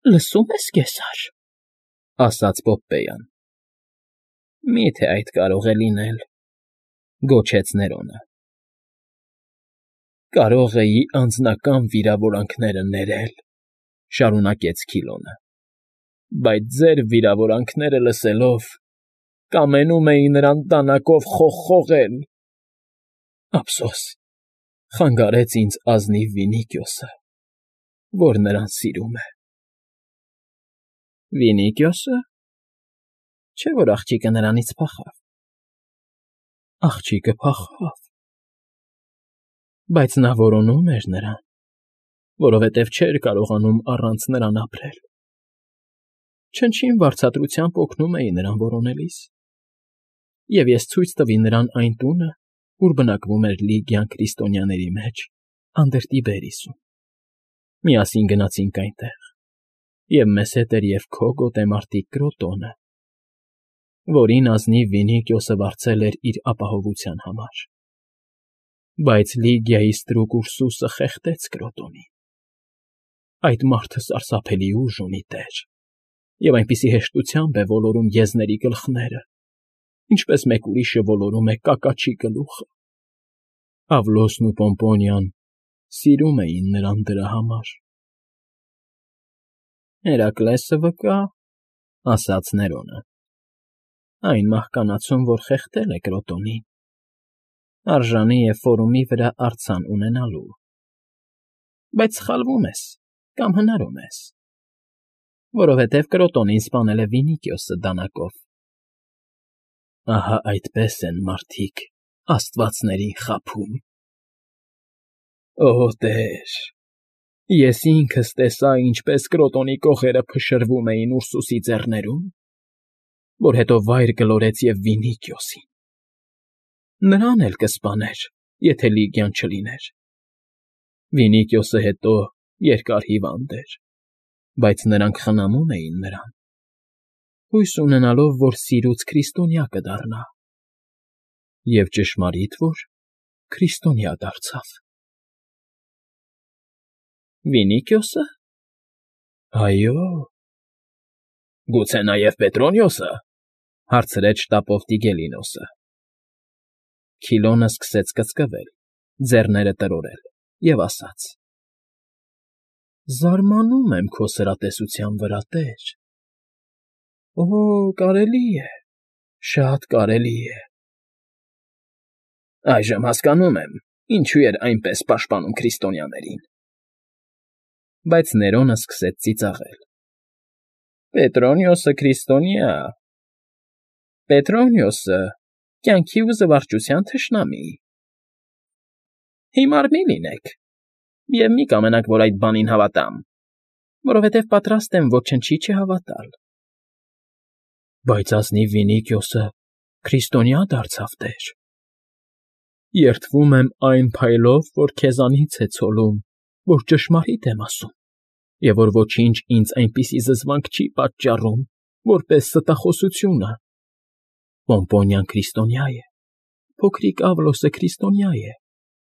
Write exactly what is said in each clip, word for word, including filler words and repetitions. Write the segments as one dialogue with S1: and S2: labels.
S1: Լսում ես, կեսար, ասաց Պոպպեյան։ Մի՞թե այդ կարող է լինել, գոչեց Ներոնը։ Կարող էի անձնական վիրավորանքները ներել, շարունակեց Քիլոնը, բայց ձեր վիրավորանքները լսելով, կամենում էի նրան դանակով խողխողել։ Ափսոս, խանգարեց ինձ ազնիվ Վինիքիոսը, որ նրան սիրում է։ Վինիքիոսը։ Չէ՞ որ աղջիկը նրանից փախավ։ Աղջիկը փախավ, բայց նա որոնում էր նրան, որովհետև չէր կարողանում առանց նրան ապրել։ Չնչին վարձատրությամբ օգնում էի նրան որոնելիս, և ես ցույց տվի նրան այն տունը, ուր բնակվում էր Լիգիան քրիստոնյաների մեջ, Անդրտիբերիսում։ Միասին գնացինք այնտեղ, և մեզ հետ էր և քո գոտեմարտիկ Կրոտոնը, որին ազնիվ Վինիքիոսը վարձել էր իր ապահովության համար։ Բայց Լիգիայի ստրուկ Ուրսուսը խեղդեց Կրոտոնին։ Այդ մարդը սարսափելի ուժ ունի, տեր, և այնպիսի հեշտությամբ է ոլորում եզների գլխները, ինչպես մեկ ուրիշը ոլորում է կակաչի գլուխը։ Ավլոսն ու Պոմպոնիան սիրում էին նրան դրա համար։ Հերակլեսը վկա, ասաց Ներոնը, այն մահկանացուն, որ խեղդել է Կրոտոնին, արժանի է Ֆորումի վրա արձան ունենալու։ Բայց սխալվում ես կամ հնարում ես, որովհետև Կրոտոնին սպանել է Վինիքիոսը դանակով։ Ահա այդպես են մարդիկ աստվածներին խաբում։ Օ, տեր, ես ինքս տեսա, ինչպես Կրոտոնի կողերը փշրվում էին Ուրսուսի ձեռներում, որ հետո վայր գլորեց և Վինիքիոսին։ Նրան էլ կսպաներ, եթե Լիգիան չլիներ։ Վինիքիոսը հետո երկար հիվանդ էր, բայց նրանք խնամում էին նրան, հույս ունենալով, որ սիրուց քրիստոնյա կդառնա։ Եվ ճշմարիտ որ քրիստոնյա դարձավ։ Վինիքիոսը։ Այո։ Գուցե նաև Պետրոնիոսը, հարցրեց շտապով Տիգելինոսը։ Քիլոնը սկսեց կծկվել, ձեռները տրորել և ասաց. Զարմանում եմ քո սրատեսության վրա, տեր։ Օ, կարելի է, շատ կարելի է։ Այժմ հասկանում եմ, ինչու էր այնպես պաշտպանում քրիստոնյաներին։ Բայց Ներոնը սկսեց ծիծաղել։ Պետրոնիոսը քրիստոնյա… Պետրոնիոսը կյանքի ու զվարճության թշնամի։ Հիմար մի լինեք և մի կամենաք, որ այդ բանին հավատամ, որովհետև պատրաստ եմ ոչնչի չհավատալ։ Բայց ազնիվ Վինիքիոսը քրիստոնյա դարձավ, տեր։ Երդվում եմ այն փայլով, որ քեզանից է ցոլում, որ ճշմարիտ եմ ասում, և որ ոչինչ ինձ այնպիսի զզվանք չի պատճառում, որպես ստախոսությունը։ Պոմպոնիան քրիստոնյա է, փոքրիկ Ավլոսը քրիստոնյա է,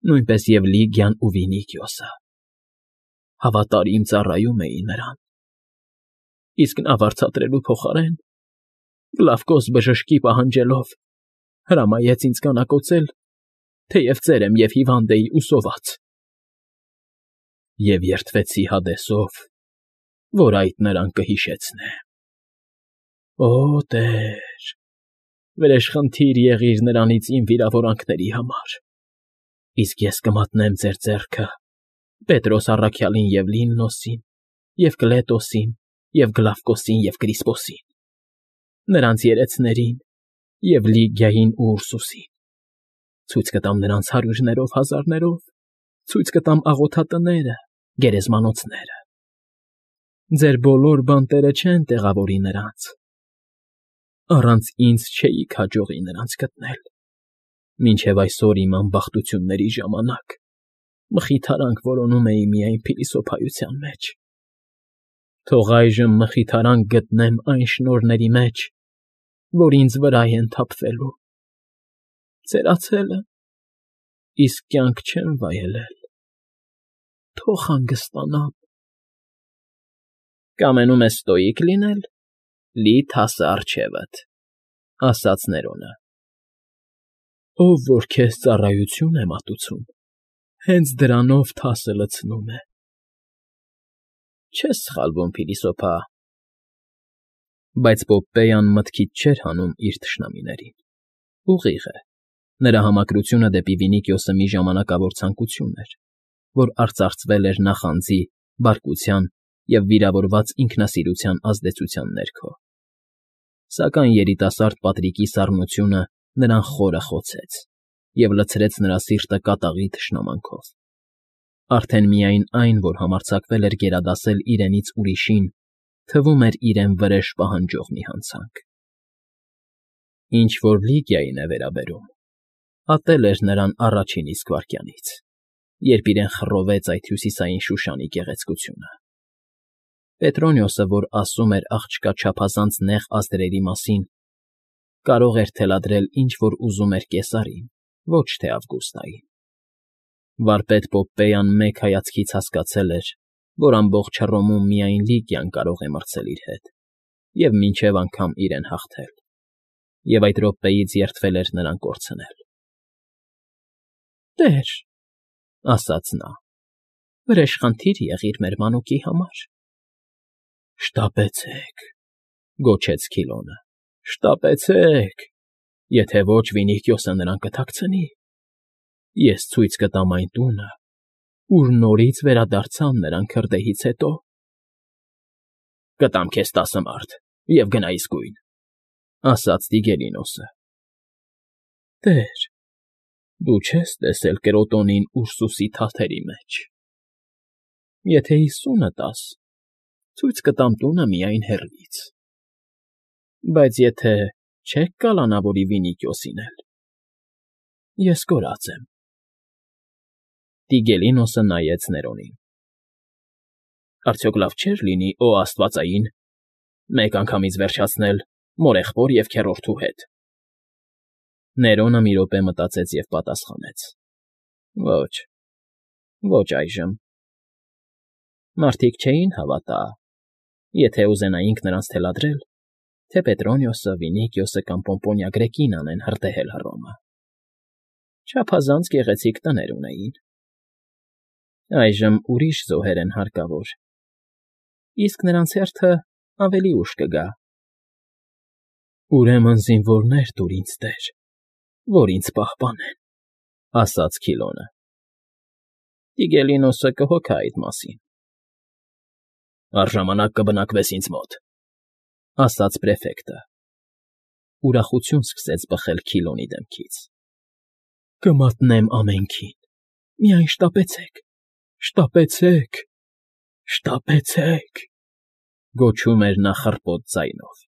S1: նույնպես և Լիգիան ու Վինիքիոսը։ Հավատարիմ ծառայում էի նրան։ Իսկ նա վարձատրելու փոխարեն, Գլավկոս բժշկի պահանջելով, հրամայեց ինձ կանակոծել, թեև ծեր եմ և հիվանդ էի ու սոված։ Եվ երդվեցի Հադեսով, որ այդ նրան կհիշեցնե։ Օ, տեր, վրեժխնդիր եղիր նրանից իմ վիրավորանքների համար, իսկ ես կմատնեմ ձեր ձեռքը Պետրոս առաքյալին և Լիննոսին, և Կլետոսին, և Գլավկոսին և Կրիսպոսին, նրանց երեցներին և Լիգիային ու Ուրսուսին, ցույց կտամ նրանց հարյուրներով հազարներով, ցույց կտամ աղոթատները, գերեզմանոցները։ Ձեր բոլոր բանտերը չեն տեղավորի նրանց։ Առանց ինձ չէիք հաջողի նրանց գտնել, մինչև այսօր իմ անբախտությունների ժամանակ մխիթարանք որոնում էի միայն փիլիսոփայության մեջ։ Թող այժմ մխիթարանք գտնեմ այն շնորհների մեջ, որ ինձ վրա են թափվելու։ Ծերացել եմ, իսկ կյանք չեմ վայելել։ Թող հանգստանամ։ Կամենում ես ստոիկ լինել, լի թասը առջևդ, ֊ ասաց Ներոնը։ Ով որ քեզ ծառայություն է մատուցում, հենց դրանով թասը լցնում է։ Չես սխալվում, փիլիսոփա։ Բայց Պոպպեյան մտքից չէր հանում իր թշնամիներին։ Ուղիղ է, նրա համակրությունը դեպի Վինիքիոսը մի ժամանակավոր ցանկություն էր, որ արծարծվել էր նախանձի, բարկության և վիրավորված ինքնասիրության ազդեցության ներքո։ Սակայն երիտասարդ Պատրիկի սառնությունը նրան խորը խոցեց և լցրեց նրա սիրտը կատաղի թշնամանքով։ Արդեն միայն այն, որ համարձակվել էր գերադասել իրենից ուրիշին, թվում էր իրեն վրեժ պահանջող մի հանցանք։ Ինչ որ Լիգիային է վերաբերում, ատել էր նրան առաջին իսկ վայրկյանից, երբ իրեն խռովեց այդ հյուսիսային Շուշանի գեղեցկությունը։ Պետրոնիոսը, որ ասում էր աղջկա չափազանց նեղ ազդրերի մասին, կարող էր թելադրել ինչ֊որ ուզում էր Կեսարին, ոչ թե Ավգուստային։ Վարպետ Պոպպեյան մեկ հայացքից հասկացել էր, որ ամբողջ Հռոմում միայն Լիգիան կարող է մրցել իր հետ և մինչև անգամ իրեն հաղթել, և այդ րոպեից երդվել էր նրան կորցնել։ ֊ Տեր, ֊ ասաց նա, ֊ վրեժխնդիր եղիր մեր մանուկի համար։ ֊ Շտապեցեք, ֊ գոչեց Քիլոնը, ֊ շտապեցեք, եթե ոչ Վինիքիոսը նրան կթաքցնի։ Ես ցույց կտամ այն տունը, ուր նորից վերադարձան նրան քրդեհից հետո։ ֊ Կտամ քեզ տասը մարդ, և գնա իսկույն, ֊ ասաց Տիգելինոսը։ ֊ Տեր, դու չես տեսել կրոտոնին Ուրսուսի թաթերի մեջ։ ֊ Եթե հիսունը տաս, ցույց կտամ տունը միայն հեռվից։ ֊ Բայց եթե չեք կալանավորի Վինիքիոսին էլ, ես կորած եմ։ Տիգելինոսը նայեց Ներոնին։ ֊ Արդյոք լավ չէր լինի, օ աստվածային, մեկ անգամից վերջացնել մորեղբոր և քեռորդու հետ։ Ներոնը մի րոպե մտածեց և պատասխանեց. ֊ Ոչ, ոչ այժմ։ Մարդիկ չէին հավատա, եթե ուզենայինք նրանց թելադրել, թե Պետրոնիոսը, Վինիքիոսը կամ Պոմպոնիա Գրեկին անեն հրդեհել Հռոմը։ Չափազանց գեղեցիկ տներ ունեին։ Այժմ ուրիշ զոհեր են հարկավոր, իսկ նրանց հերթը ավելի ուշ կգա։ ֊ Ուրեմն զինվորներ տուր ինձ, տեր, որ ինձ պահպանեն, ֊ ասաց Քիլոնը։ Տիգելինոսը կհոգա այդ մասին։ ֊ Առժամանակ կբնակվես ինձ մոտ, ֊ ասաց պրեֆեկտը։ Ուրախություն սկսեց բխել Քիլոնի դեմքից։ ֊ Կմատնեմ ամենքին, միայն շտապեցեք, շտապեցեք, շտապեցեք, ֊ գոչում էր նա խռպոտ ձայնով։